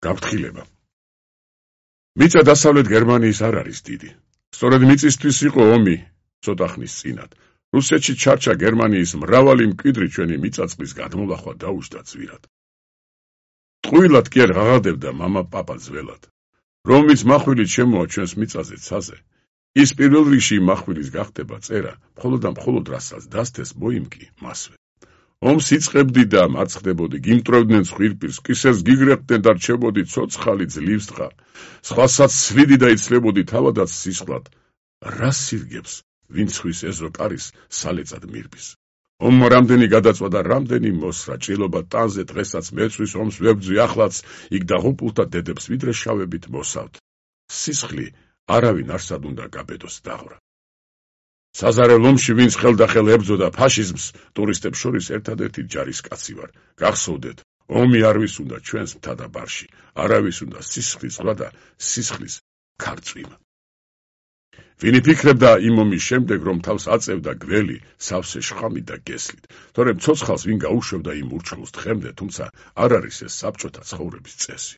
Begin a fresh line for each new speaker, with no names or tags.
გაფრთხილება. მიწა დასავლეთ გერმანიის არ არის დიდი. სწორედ მიწისთვის იყო ომი ცოტა ხნის წინათ. რუსეთში ჩარჩა გერმანიის მრავალი მკვიდრი ჩვენი მიწა-წყლის გადმოლახვა დაუშვა ძვირად. ტყუილად კი არ ღაღადებდა მამა პაპა ძველად. რომლის מחვილით შემოა ჩვენს მიწაზე ცაზე, ის პირველ რიგში מחვილის გახდება წერა, მხოლოდ და მხოლოდ რასაც დასთეს მოიმკი მასვე. ომს იწყებდი და მარცხდებოდი, გიმტრევდნენ ცხვირპირს, კისერს გიგრეხდნენ და რჩებოდი ცოცხალი ძლივს თხა, სხვასაც სვიდი და იცლებოდი თავადაც სისხლად, რა სირგებს, ვინც ხვის ეზო კარის სალეწად მირბის. ომმა რამდენი გადაწვა და რამდენი მოსრა, ჭრილობა ტანზე დღესაც მეცვის ომს ვებძვი ახლაც, იქ დაღუპულთა დედებს ვიდრე შავებით მოსავთ. სისხლი არავინ არსად უნდა გაბედოს დაღვრა. საზარელ ომში ვინც ხელდახელ ებრძოდა ფაშიზმს, ტურისტებს შორის ერთადერთი ჯარისკაცი ვარ. გახსოვდეთ, ომი არვის უნდა ჩვენს მთა და ბარში, არავის უნდა სისხლის ზღვა და სისხლის ქარწვიმა. ვინი ფიქრებდა იმ ომის შემდეგ, რომ თავს აწევდა გველი, სავსე შხამით და გესლით, თორემ ცოცხალს ვინ გაუშვებდა იმ ურჩხულს თხემდე, თუმცა არ არის ეს საბჭოთა ცხოვრების წესი.